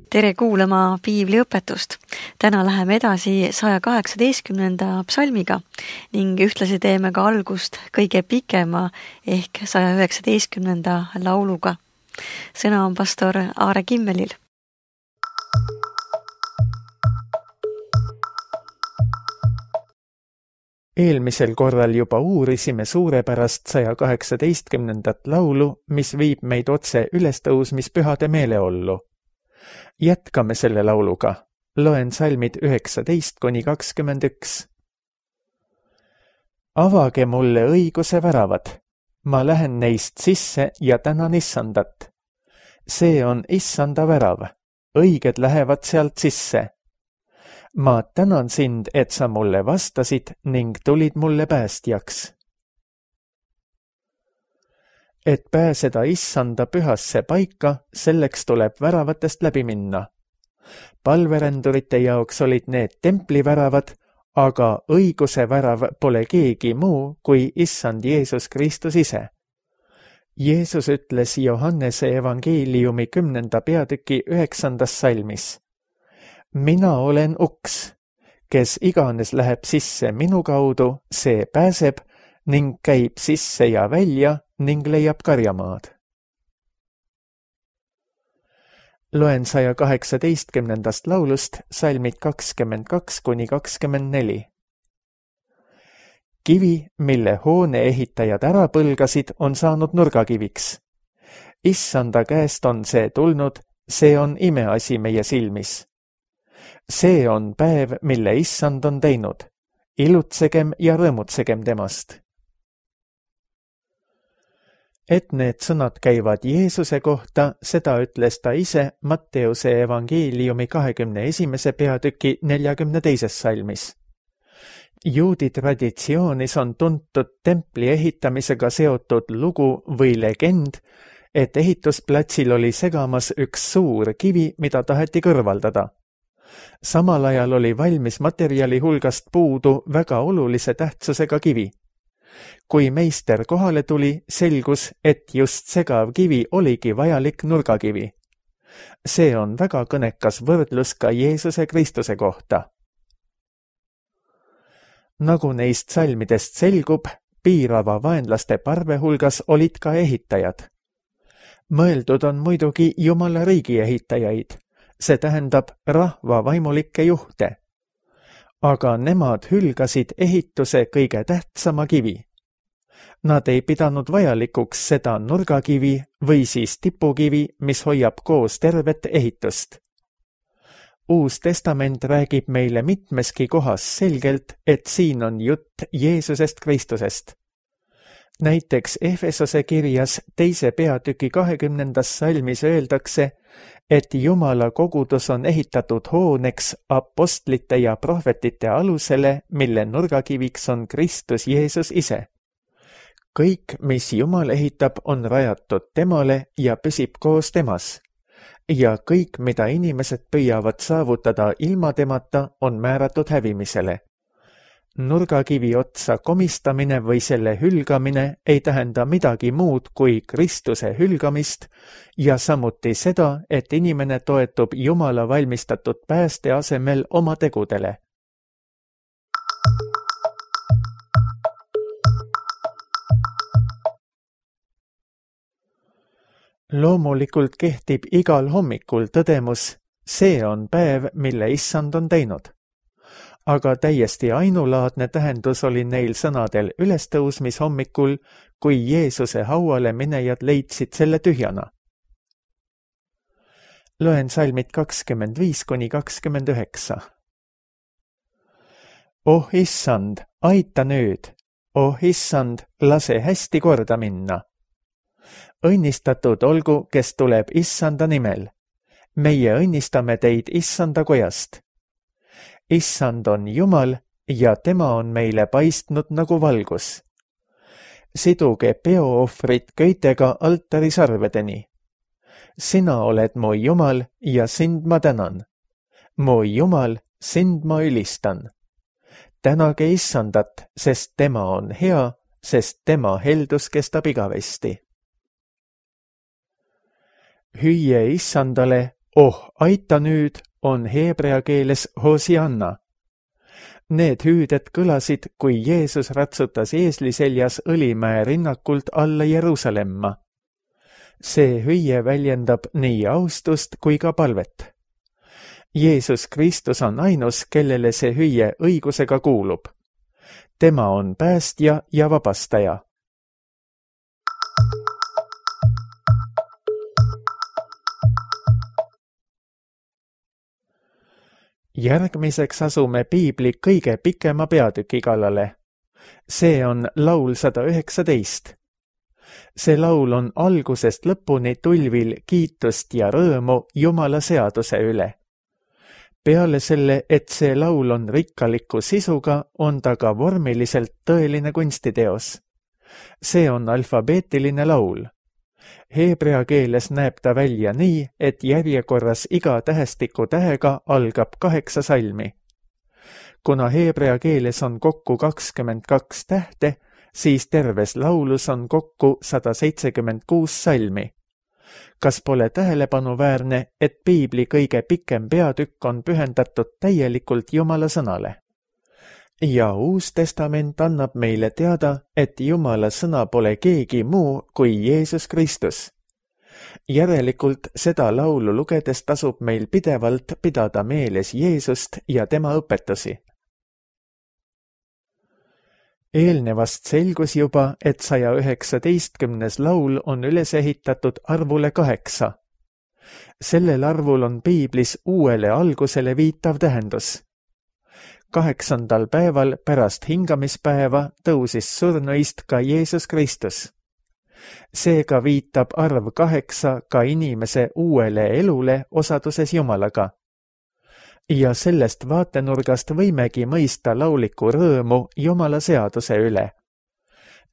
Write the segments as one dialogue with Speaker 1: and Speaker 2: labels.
Speaker 1: Tere kuulama piibliõpetust. Täna läheme edasi 118. psalmiga ning ühtlasi teeme ka algust kõige pikema ehk 119. lauluga. Sõna on pastor Aare Kimmelil.
Speaker 2: Eelmisel korral juba uurisime suurepärast 118. laulu, mis viib meid otse ülestõusmispühade meeleollu. Jätkame selle lauluga. Loen salmid 19-21. Avage mulle õiguse väravad. Ma lähen neist sisse ja tänan Issandat. See on Issanda värav. Õiged lähevad sealt sisse. Ma tänan sind, et sa mulle vastasid ning tulid mulle päästjaks. Et pääseda Issanda pühasse paika, selleks tuleb väravatest läbi minna. Palverendurite jaoks olid need templiväravad, aga õiguse värav pole keegi muu kui Issand Jeesus Kristus ise. Jeesus ütles Johannese evangeeliumi 10. peatüki 9. salmis. Mina olen uks, kes iganes läheb sisse minu kaudu, see pääseb ning käib sisse ja välja ning leiab karjamaad. Loen 118. laulust salmid 22-24. Kivi, mille hoone ehitajad ära põlgasid, on saanud nurgakiviks. Issanda käest on see tulnud, see on imeasi meie silmis. See on päev, mille Issand on teinud. Ilutsegem ja rõõmutsegem temast. Et need sõnad käivad Jeesuse kohta, seda ütles ta ise Matteuse evangeeliumi 21. peatüki 42. salmis. Juudi traditsioonis on tuntud templi ehitamisega seotud lugu või legend, et ehitusplatsil oli segamas üks suur kivi, mida taheti kõrvaldada. Samal ajal oli valmis materjali hulgast puudu väga olulise tähtsusega kivi. Kui meister kohale tuli, selgus, et just segav kivi oligi vajalik nurgakivi. See on väga kõnekas võrdlus ka Jeesuse Kristuse kohta. Nagu neist salmidest selgub, piirava vaenlaste parve hulgas olid ka ehitajad. Mõeldud on muidugi Jumala riigi ehitajaid, see tähendab rahva vaimulikke juhte. Aga nemad hülgasid ehituse kõige tähtsama kivi. Nad ei pidanud vajalikuks seda nurgakivi või siis tipukivi, mis hoiab koos tervet ehitust. Uus testament räägib meile mitmeski kohas selgelt, et siin on jutt Jeesusest Kristusest. Näiteks Efesose kirjas 2. peatüki 20. salmis öeldakse, et Jumala kogudus on ehitatud hooneks apostlite ja prohvetite alusele, mille nurgakiviks on Kristus Jeesus ise. Kõik, mis Jumal ehitab, on rajatud temale ja püsib koos temas. Ja kõik, mida inimesed püüavad saavutada ilma temata, on määratud hävimisele. Nurgakivi otsa komistamine või selle hülgamine ei tähenda midagi muud kui Kristuse hülgamist ja samuti seda, et inimene toetub Jumala valmistatud pääste asemel oma tegudele. Loomulikult kehtib igal hommikul tõdemus, see on päev, mille Issand on teinud. Aga täiesti ainulaadne tähendus oli neil sõnadel ülestõusmishommikul, kui Jeesuse hauale minejad leidsid selle tühjana. Loen salmid 25-29. Oh Issand, aita nüüd! Oh Issand, lase hästi korda minna! Õnnistatud olgu, kes tuleb Issanda nimel. Meie õnnistame teid Issanda kojast. Issand on Jumal ja tema on meile paistnud nagu valgus. Siduge peoohvrid köitega altari sarvedeni. Sina oled mu Jumal ja sind ma tänan. Mu Jumal, sind ma ülistan. Tänage Issandat, sest tema on hea, sest tema heldus kestab igavesti. Hüüe Issandale, "Oh, aita nüüd" on heebrea keeles Hosianna. Need hüüded kõlasid, kui Jeesus ratsutas eesli seljas Õlimäe rinnakult alla Jeruusalemma. See hüüe väljendab nii austust kui ka palvet. Jeesus Kristus on ainus, kellele see hüüe õigusega kuulub. Tema on päästja ja vabastaja. Järgmiseks asume piibli kõige pikema peatüki kallale. See on laul 119. See laul on algusest lõpuni tulvil kiitust ja rõõmu Jumala seaduse üle. Peale selle, et see laul on rikkaliku sisuga, on ta ka vormiliselt tõeline kunstiteos. See on alfabeetiline laul. Heebrea keeles näeb ta välja nii, et järjekorras iga tähestiku tähega algab 8 salmi. Kuna heebrea keeles on kokku 22 tähte, siis terves laulus on kokku 176 salmi. Kas pole tähelepanuväärne, et piibli kõige pikem peatükk on pühendatud täielikult Jumala sõnale? Ja Uus Testament annab meile teada, et Jumala sõna pole keegi muu kui Jeesus Kristus. Järelikult seda laulu lugedes tasub meil pidevalt pidada meeles Jeesust ja tema õpetusi. Eelnevast selgus juba, et 119. laul on üles ehitatud arvule 8. Sellel arvul on piiblis uuele algusele viitav tähendus. 8. päeval pärast hingamispäeva tõusis surnuist ka Jeesus Kristus. Seega viitab arv 8 ka inimese uuele elule osaduses Jumalaga. Ja sellest vaatenurgast võimegi mõista lauliku rõõmu Jumala seaduse üle.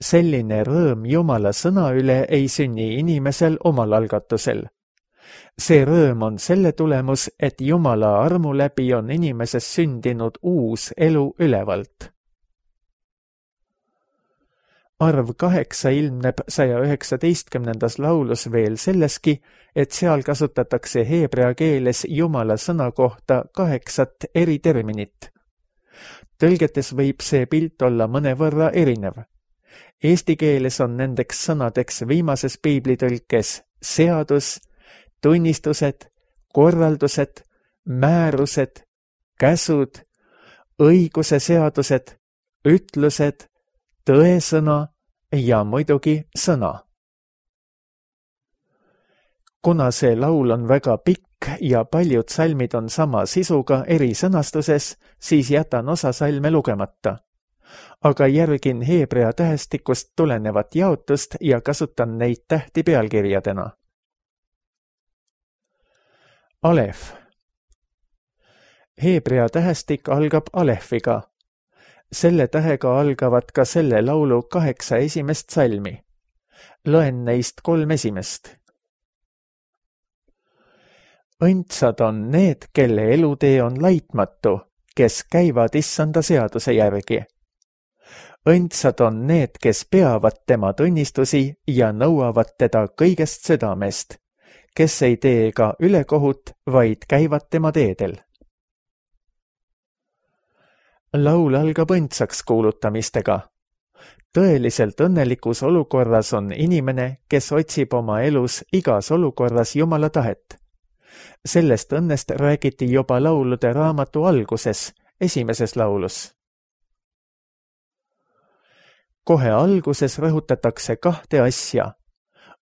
Speaker 2: Selline rõõm Jumala sõna üle ei sünni inimesel omal algatusel. See rõõm on selle tulemus, et Jumala armu läbi on inimeses sündinud uus elu ülevalt. Arv 8 ilmneb 119. laulus veel selleski, et seal kasutatakse heebrea keeles Jumala sõna kohta 8 eri terminit. Tõlgetes võib see pilt olla mõnevõrra erinev. Eesti keeles on nendeks sõnadeks viimases piiblitõlkes seadus, tunnistused, korraldused, määrused, käsud, õiguse seadused, ütlused, tõesõna ja muidugi sõna. Kuna see laul on väga pikk ja paljud salmid on sama sisuga eri sõnastuses, siis jätan osa salme lugemata. Aga järgin heebrea tähestikust tulenevat jaotust ja kasutan neid tähti pealkirjadena. Alef. Heebrea tähestik algab alefiga. Selle tähega algavad ka selle laulu 8 esimest salmi. Loen neist 3 esimest. Õndsad on need, kelle elutee on laitmatu, kes käivad issanda seaduse järgi. Õndsad on need, kes peavad tema tunnistusi ja nõuavad teda kõigest südamest, kes ei tee ka ülekohut, vaid käivad tema teedel. Laul algab õndsaks kuulutamistega. Tõeliselt õnnelikus olukorras on inimene, kes otsib oma elus igas olukorras Jumala tahet. Sellest õnnest räägiti juba laulude raamatu alguses, esimeses laulus. Kohe alguses rõhutatakse 2 asja.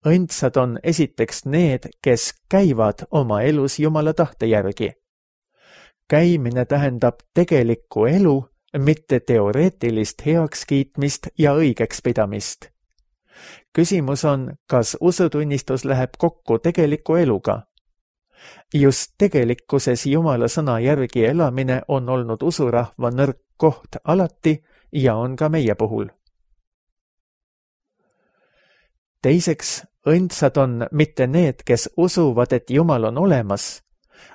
Speaker 2: Õndsad on esiteks need, kes käivad oma elus Jumala tahte järgi. Käimine tähendab tegelikku elu, mitte teoreetilist heakskiitmist ja õigeks pidamist. Küsimus on, kas usutunnistus läheb kokku tegeliku eluga. Just tegelikkuses Jumala sõna järgi elamine on olnud usurahva nõrk koht alati ja on ka meie puhul. Teiseks, õndsad on mitte need, kes usuvad, et Jumal on olemas,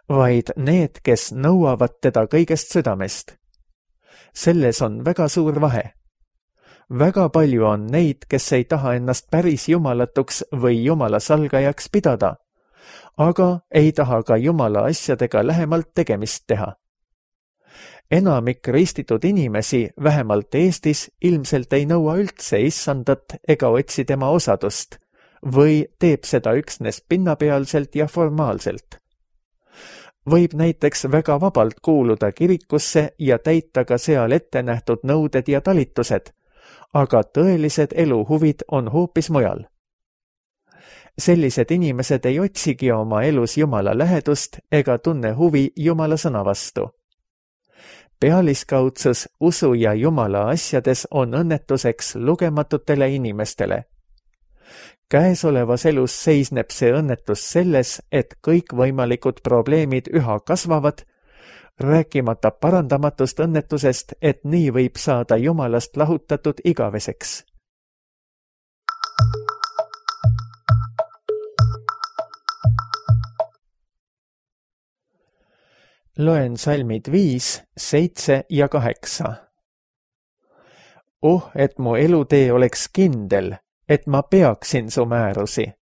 Speaker 2: vaid need, kes nõuavad teda kõigest südamest. Selles on väga suur vahe. Väga palju on neid, kes ei taha ennast päris jumalatuks või jumala salgajaks pidada, aga ei taha ka Jumala asjadega lähemalt tegemist teha. Enamik ristitud inimesi, vähemalt Eestis, ilmselt ei nõua üldse issandat ega otsi tema osadust või teeb seda üksnes pinnapealselt ja formaalselt. Võib näiteks väga vabalt kuuluda kirikusse ja täita ka seal ette nähtud nõuded ja talitused, aga tõelised eluhuvid on hoopis mujal. Sellised inimesed ei otsigi oma elus Jumala lähedust ega tunne huvi Jumala sõna vastu. Pealiskaudsus usu ja Jumala asjades on õnnetuseks lugematutele inimestele. Käesolevas elus seisneb see õnnetus selles, et kõikvõimalikud probleemid üha kasvavad, rääkimata parandamatust õnnetusest, et nii võib saada Jumalast lahutatud igaveseks. Loen salmid 5, 7 ja 8. Et mu elutee oleks kindel, et ma peaksin su määrusi.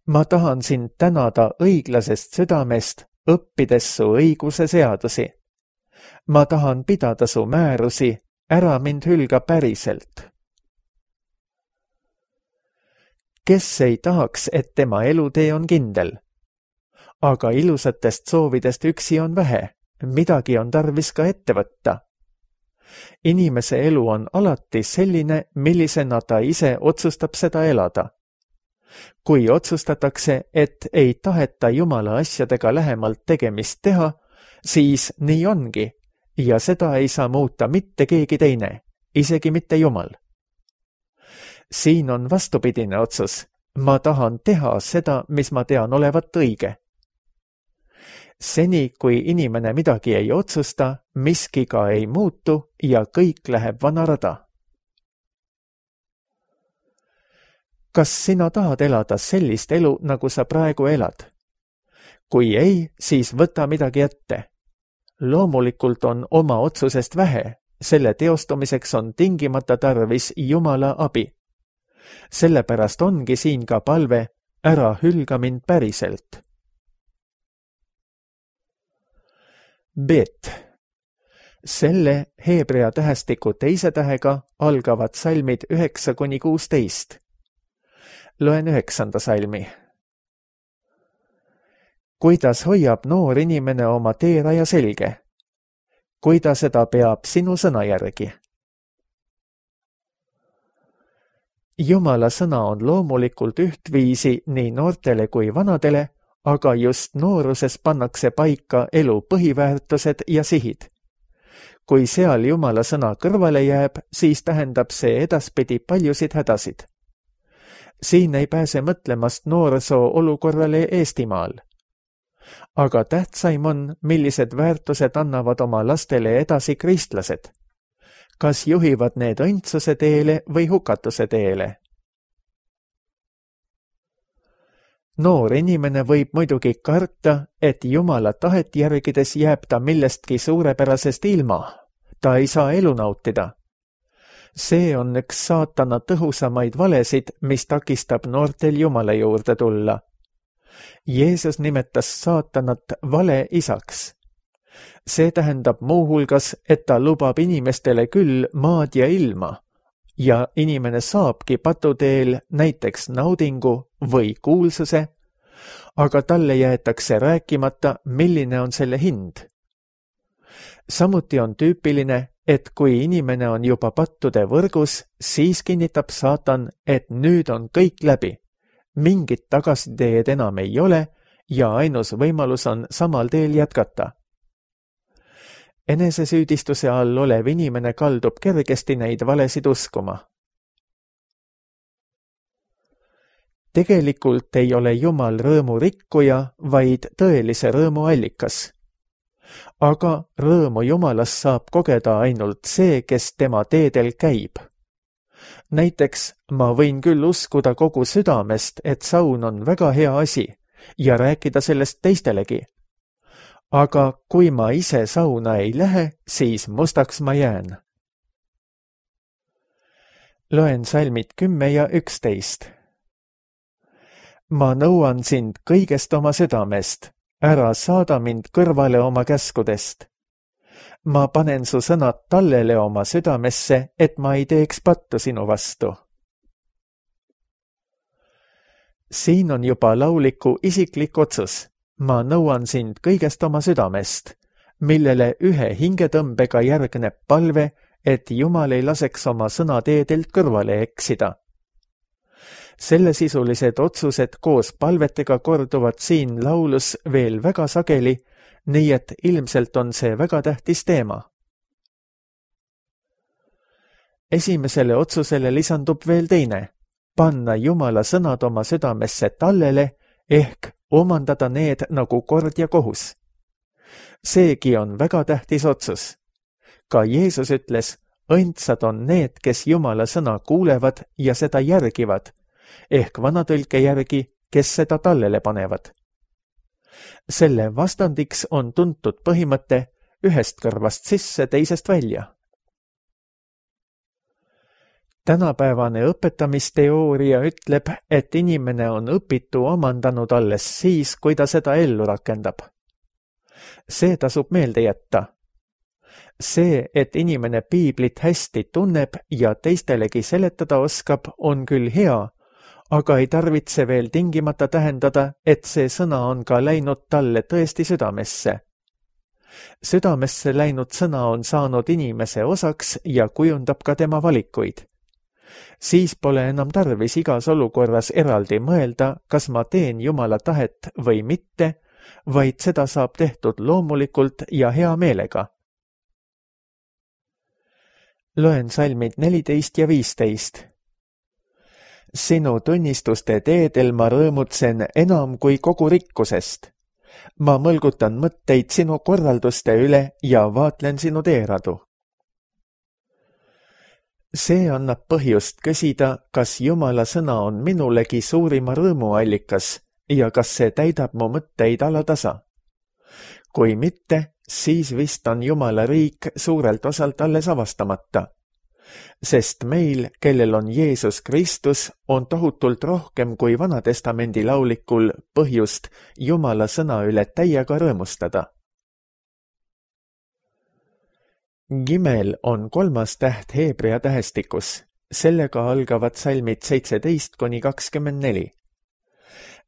Speaker 2: Ma tahan sind tänada õiglasest südamest, õppides su õiguse seadusi. Ma tahan pidada su määrusi, ära mind hülga päriselt. Kes ei tahaks, et tema elutee on kindel? Aga ilusatest soovidest üksi on vähe, midagi on tarvis ka ette võtta. Inimese elu on alati selline, millisena ta ise otsustab seda elada. Kui otsustatakse, et ei taheta Jumala asjadega lähemalt tegemist teha, siis nii ongi ja seda ei saa muuta mitte keegi teine, isegi mitte Jumal. Siin on vastupidine otsus. Ma tahan teha seda, mis ma tean olevat õige. Seni, kui inimene midagi ei otsusta, miski ka ei muutu ja kõik läheb vana rada. Kas sina tahad elada sellist elu, nagu sa praegu elad? Kui ei, siis võta midagi ette. Loomulikult on oma otsusest vähe, selle teostumiseks on tingimata tarvis Jumala abi. Sellepärast ongi siin ka palve, ära hülga mind päriselt. Bet. Selle heebrea tähestiku teise tähega algavad salmid 9–16. Loen 9. salmi. Kuidas hoiab noor inimene oma teeraja selge? Kui ta seda peab sinu sõna järgi? Jumala sõna on loomulikult ühtviisi nii noortele kui vanadele, aga just nooruses pannakse paika elu põhiväärtused ja sihid. Kui seal Jumala sõna kõrvale jääb, siis tähendab see edaspidi paljusid hädasid. Siin ei pääse mõtlemast noorsoo olukorrale Eestimaal. Aga tähtsaim on, millised väärtused annavad oma lastele edasi kristlased. Kas juhivad need õndsuse teele või hukatuse teele? Noor inimene võib muidugi karta, et Jumala tahet järgides jääb ta millestki suurepärasest ilma. Ta ei saa elu nautida. See on üks saatana tõhusamaid valesid, mis takistab noortel Jumala juurde tulla. Jeesus nimetas saatanat vale isaks. See tähendab muuhulgas, et ta lubab inimestele küll maad ja ilma ja inimene saabki patuteel näiteks naudingu või kuulsuse, aga talle jäetakse rääkimata, milline on selle hind. Samuti on tüüpiline, et kui inimene on juba pattude võrgus, siis kinnitab saatan, et nüüd on kõik läbi. Mingit tagasiteed enam ei ole ja ainus võimalus on samal teel jätkata. Enesesüüdistuse all olev inimene kaldub kergesti neid valesid uskuma. Tegelikult ei ole Jumal rõõmu rikkuja, vaid tõelise rõõmu allikas. Aga rõõmu Jumalast saab kogeda ainult see, kes tema teedel käib. Näiteks ma võin küll uskuda kogu südamest, et saun on väga hea asi ja rääkida sellest teistelegi. Aga kui ma ise sauna ei lähe, siis mustaks ma jään. Loen salmid 10 ja 11. ma nõuan sind kõigest oma südamest, ära saada mind kõrvale oma käskudest. ma panen su sõnad tallele oma südamesse, et ma ei teeks pattu sinu vastu. siin on juba lauliku isiklik otsus. ma nõuan sind kõigest oma südamest, millele ühe hingetõmbega järgneb palve, et Jumal ei laseks oma sõnateedelt kõrvale eksida. Sellesisulised otsused koos palvetega korduvad siin laulus veel väga sageli, nii et ilmselt on see väga tähtis teema. Esimesele otsusele lisandub veel teine, panna Jumala sõnad oma südamesse tallele ehk omandada need nagu kord ja kohus. Seegi on väga tähtis otsus. Ka Jeesus ütles, õndsad on need, kes Jumala sõna kuulevad ja seda järgivad, ehk vanatõlke järgi, kes seda tallele panevad. Selle vastandiks on tuntud põhimõte ühest kõrvast sisse, teisest välja. Tänapäevane õpetamisteooria ütleb, et inimene on õpitu omandanud alles siis, kui ta seda ellu rakendab. See tasub meelde jätta. See, et inimene piiblit hästi tunneb ja teistelegi seletada oskab, on küll hea, aga ei tarvitse veel tingimata tähendada, et see sõna on ka läinud talle tõesti südamesse. Südamesse läinud sõna on saanud inimese osaks ja kujundab ka tema valikuid. Siis pole enam tarvis igas olukorras eraldi mõelda, kas ma teen Jumala tahet või mitte, vaid seda saab tehtud loomulikult ja hea meelega. Loen salmid 14 ja 15. Sinu tunnistuste teedel ma rõõmutsen enam kui kogu rikkusest. Ma mõlgutan mõtteid sinu korralduste üle ja vaatlen sinu teeradu. See annab põhjust küsida, kas Jumala sõna on minulegi suurima rõõmuallikas ja kas see täidab mu mõtteid alatasa. Kui mitte, siis vist on Jumala riik suurelt osalt alles avastamata. Sest meil, kellel on Jeesus Kristus, on tohutult rohkem kui Vanatestamendi laulikul põhjust Jumala sõna üle täiega rõõmustada. Gimel on 3. täht heebrea tähestikus. Sellega algavad salmid 17–24.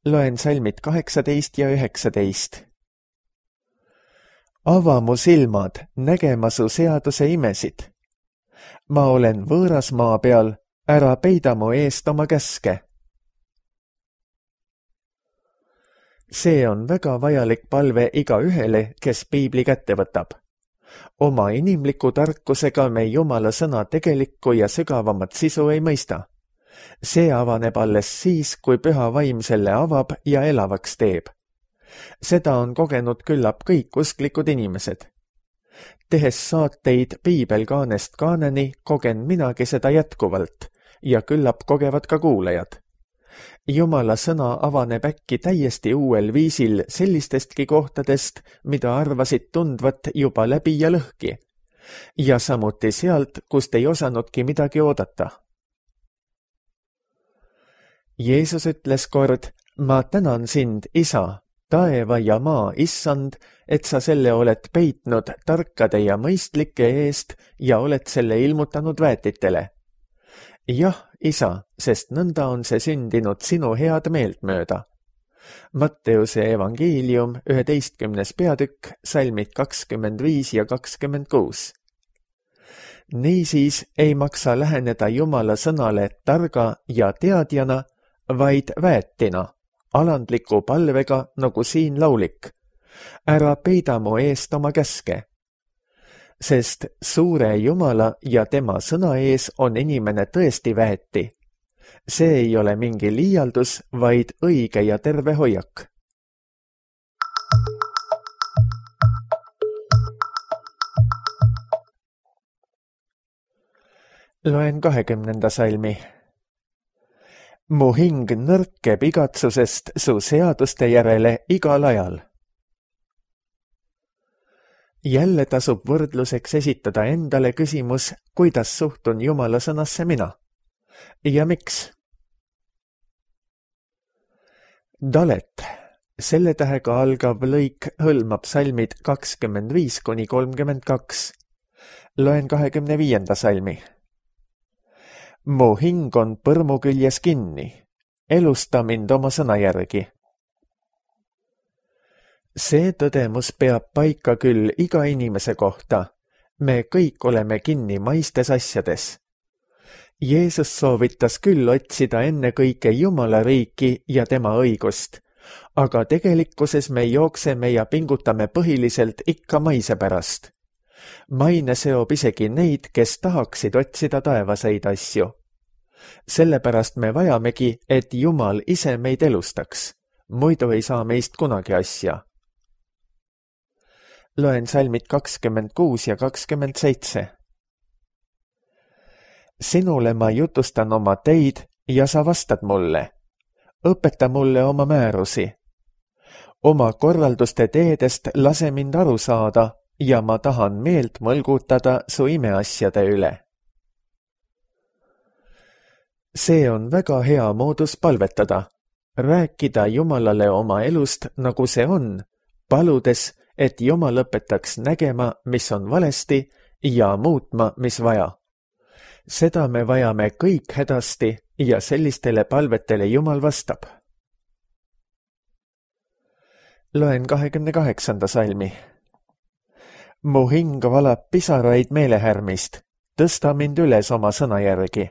Speaker 2: Loen salmid 18 ja 19. Ava mu silmad, nägema su seaduse imesid. Ma olen võõras maa peal, ära peida mu eest oma käske. See on väga vajalik palve igaühele, kes piibli kätte võtab. Oma inimliku tarkusega me Jumala sõna tegelikku ja sügavamat sisu ei mõista. See avaneb alles siis, kui püha vaim selle avab ja elavaks teeb. Seda on kogenud küllap kõik usklikud inimesed. Tehes saateid piibelkaanest kaaneni, kogen minagi seda jätkuvalt ja küllap kogevad ka kuulajad. Jumala sõna avaneb äkki täiesti uuel viisil sellistestki kohtadest, mida arvasid tundvat juba läbi ja lõhki, ja samuti sealt, kust ei osanudki midagi oodata. Jeesus ütles kord, ma tänan sind, Isa, taeva ja maa issand, et sa selle oled peitnud tarkade ja mõistlike eest ja oled selle ilmutanud väetitele. Jah, Isa, sest nõnda on see sündinud sinu head meelt mööda. Matteuse evangeelium 11. peatükk, salmid 25 ja 26. Niisiis ei maksa läheneda Jumala sõnale targa ja teadjana, vaid väetina, alandliku palvega nagu siin laulik. Ära peida mu eest oma käske. Sest suure Jumala ja tema sõna ees on inimene tõesti väeti. See ei ole mingi liialdus, vaid õige ja terve hoiak. Loen 20. salmi. Mu hing nõrkeb igatsusest su seaduste järele igal ajal. Jälle tasub võrdluseks esitada endale küsimus, kuidas suhtun Jumala sõnasse mina. Ja miks? Dalet, selle tähega algav lõik hõlmab salmid 25–32. Loen 25. salmi. Mu hing on põrmu küljes kinni, elusta mind oma sõna järgi. See tõdemus peab paika küll iga inimese kohta. Me kõik oleme kinni maistes asjades. Jeesus soovitas küll otsida ennekõike Jumala riiki ja tema õigust, aga tegelikkuses me jookseme ja pingutame põhiliselt ikka maise pärast. Maine seob isegi neid, kes tahaksid otsida taevaseid asju. Sellepärast me vajamegi, et Jumal ise meid elustaks. Muidu ei saa meist kunagi asja. Loen salmid 26 ja 27. Sinule ma jutustan oma teid ja sa vastad mulle. Õpeta mulle oma määrusi. Oma korralduste teedest lase mind aru saada ja ma tahan meelt mõlgutada su imeasjade üle. See on väga hea moodus palvetada, rääkida Jumalale oma elust, nagu see on, paludes, et Jumal õpetaks nägema, mis on valesti ja muutma, mis vaja. Seda me vajame kõik hädasti ja sellistele palvetele Jumal vastab. Loen 28. salmi. Mu hing valab pisaraid meelehärmist, tõsta mind üles oma sõna järgi.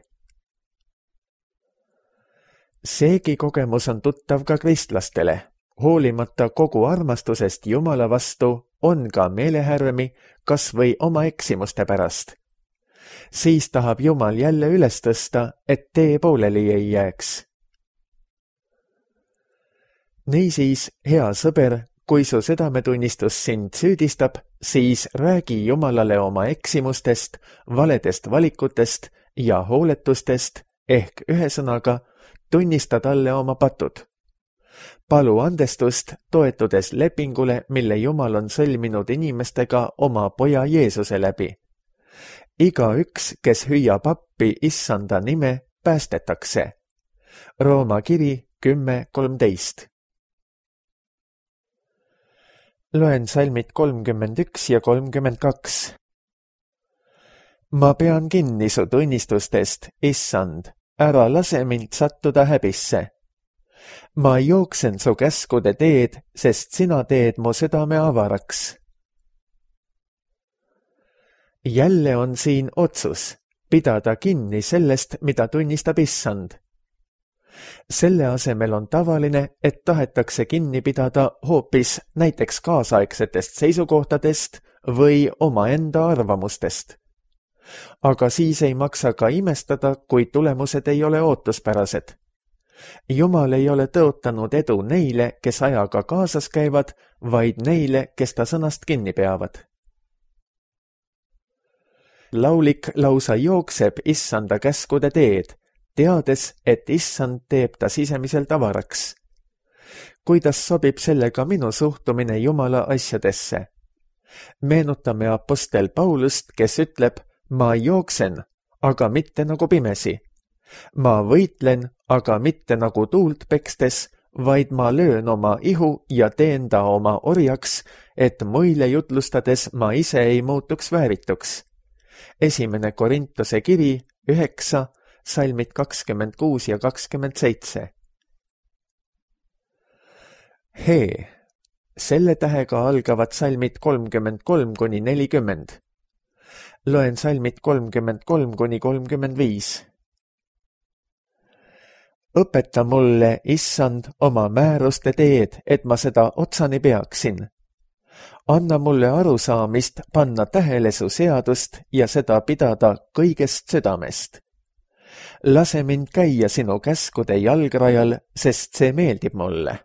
Speaker 2: Seegi kogemus on tuttav ka kristlastele. Hoolimata kogu armastusest Jumala vastu on ka meelehärmi, kas või oma eksimuste pärast. Siis tahab Jumal jälle üles tõsta, et tee pooleli ei jääks. Niisiis, hea sõber, kui su südametunnistus sind süüdistab, siis räägi Jumalale oma eksimustest, valedest valikutest ja hooletustest ehk ühesõnaga tunnista talle oma patud. Palu andestust, toetudes lepingule, mille Jumal on sõlminud inimestega oma poja Jeesuse läbi. Igaüks, kes hüüab appi Issanda nime, päästetakse. Rooma kiri 10:13. Loen salmid 31 ja 32. Ma pean kinni su tunnistustest, Issand, ära lase mind sattuda häbisse. Ma jooksen su käskude teed, sest sina teed mu südame avaraks. Jälle on siin otsus, pidada kinni sellest, mida tunnistab Issand. Selle asemel on tavaline, et tahetakse kinni pidada hoopis näiteks kaasaegsetest seisukohtadest või omaenda arvamustest. Aga siis ei maksa ka imestada, kui tulemused ei ole ootuspärased. Jumal ei ole tõotanud edu neile, kes ajaga kaasas käivad, vaid neile, kes ta sõnast kinni peavad. Laulik lausa jookseb Issanda käskude teed, teades, et Issand teeb ta sisemiselt avaraks. Kuidas sobib sellega minu suhtumine Jumala asjadesse? Meenutame apostel Paulust, kes ütleb, ma jooksen, aga mitte nagu pimesi. Ma võitlen, aga mitte nagu tuult pekstes, vaid ma löön oma ihu ja teen ta oma orjaks, et muile jutlustades ma ise ei muutuks väärituks. 1. Korintuse kiri 9, salmid 26 ja 27. Hee, selle tähega algavad salmid 33–40. Loen salmid 33–35. Õpeta mulle, Issand, oma määruste teed, et ma seda otsani peaksin. Anna mulle arusaamist panna tähele su seadust ja seda pidada kõigest südamest. Lase mind käia sinu käskude jalgrajal, sest see meeldib mulle.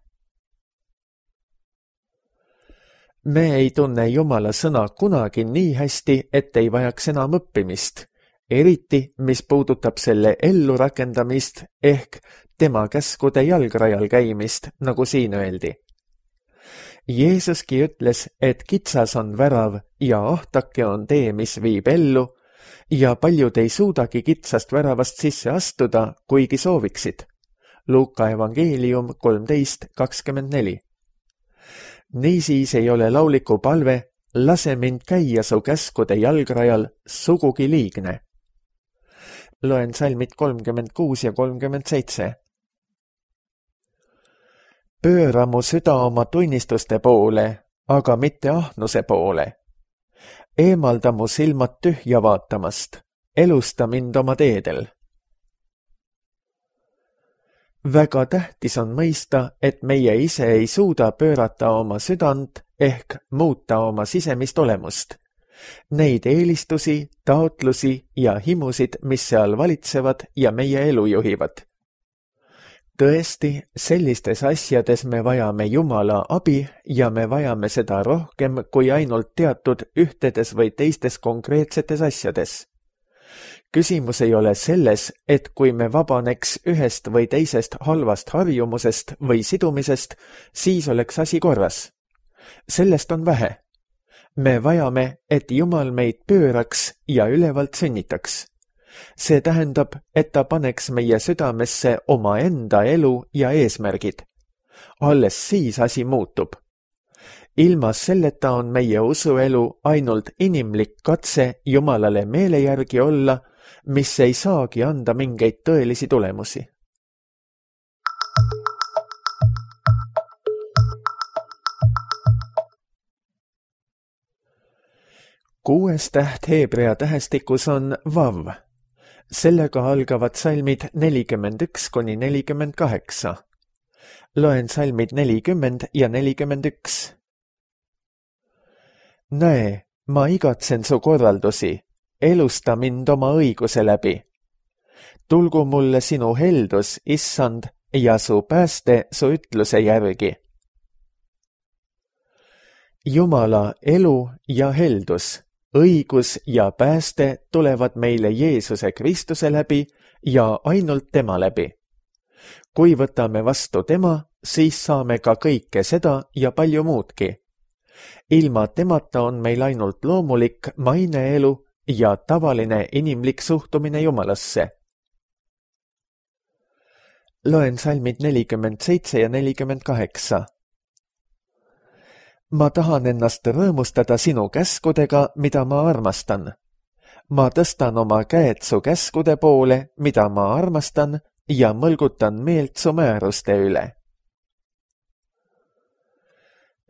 Speaker 2: Me ei tunne Jumala sõna kunagi nii hästi, et ei vajaks enam õppimist, eriti mis puudutab selle ellurakendamist ehk tema käskude jalgrajal käimist, nagu siin öeldi. Jeesuski ütles, et kitsas on värav ja ahtake on tee, mis viib ellu, ja paljud ei suudagi kitsast väravast sisse astuda, kuigi sooviksid. Luuka evangeelium 13:24. Niisiis ei ole lauliku palve "Lase mind käia su käskude jalgrajal" sugugi liigne. Loen salmid 36 ja 37. Pööra mu süda oma tunnistuste poole, aga mitte ahnuse poole. Eemalda mu silmad tühja vaatamast, elusta mind oma teedel. Väga tähtis on mõista, et meie ise ei suuda pöörata oma südant ehk muuta oma sisemist olemust. Neid eelistusi, taotlusi ja himusid, mis seal valitsevad ja meie elu juhivad. Tõesti, sellistes asjades me vajame Jumala abi ja me vajame seda rohkem kui ainult teatud ühtedes või teistes konkreetsetes asjades. Küsimus ei ole selles, et kui me vabaneks ühest või teisest halvast harjumusest või sidumisest, siis oleks asi korras. Sellest on vähe. Me vajame, et Jumal meid pööraks ja ülevalt sünnitaks. See tähendab, et ta paneks meie südamesse omaenda elu ja eesmärgid. Alles siis asi muutub. Ilma selleta on meie usuelu ainult inimlik katse Jumalale meele järgi olla, mis ei saagi anda mingeid tõelisi tulemusi. Kuues täht heebrea tähestikus on Vav. Sellega algavad salmid 41–48. Loen salmid 40 ja 41. Näe, ma igatsen su korraldusi, elusta mind oma õiguse läbi. Tulgu mulle sinu heldus, issand, ja su pääste su ütluse järgi. Jumala elu ja heldus, õigus ja pääste tulevad meile Jeesuse Kristuse läbi ja ainult tema läbi. Kui võtame vastu tema, siis saame ka kõike seda ja palju muudki. Ilma temata on meil ainult loomulik maineelu ja tavaline inimlik suhtumine Jumalasse. Loen salmid 47 ja 48. Ma tahan ennast rõõmustada sinu käskudega, mida ma armastan. Ma tõstan oma käed su käskude poole, mida ma armastan, ja mõlgutan meelt su määruste üle.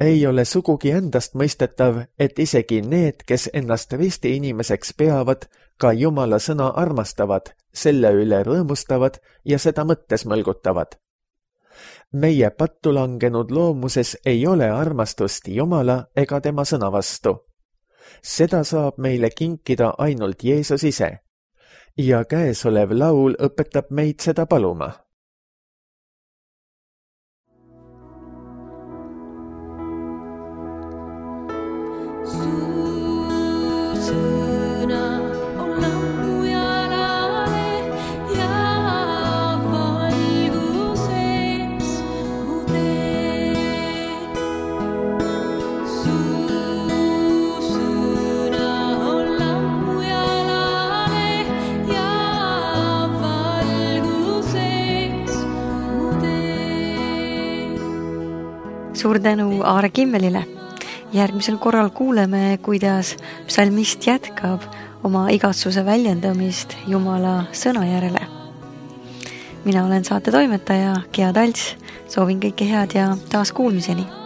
Speaker 2: Ei ole sugugi endast mõistetav, et isegi need, kes ennast risti inimeseks peavad, ka Jumala sõna armastavad, selle üle rõõmustavad ja seda mõttes mõlgutavad. Meie pattu langenud loomuses ei ole armastust Jumala ega tema sõna vastu. Seda saab meile kinkida ainult Jeesus ise. Ja käesolev laul õpetab meid seda paluma.
Speaker 1: Suur tänu Aare Kimmelile. Järgmisel korral kuuleme, kuidas psalmist jätkab oma igatsuse väljendamist Jumala sõna järele. Mina olen saate toimetaja Gea Talts, soovin kõike head ja taas kuulmiseni.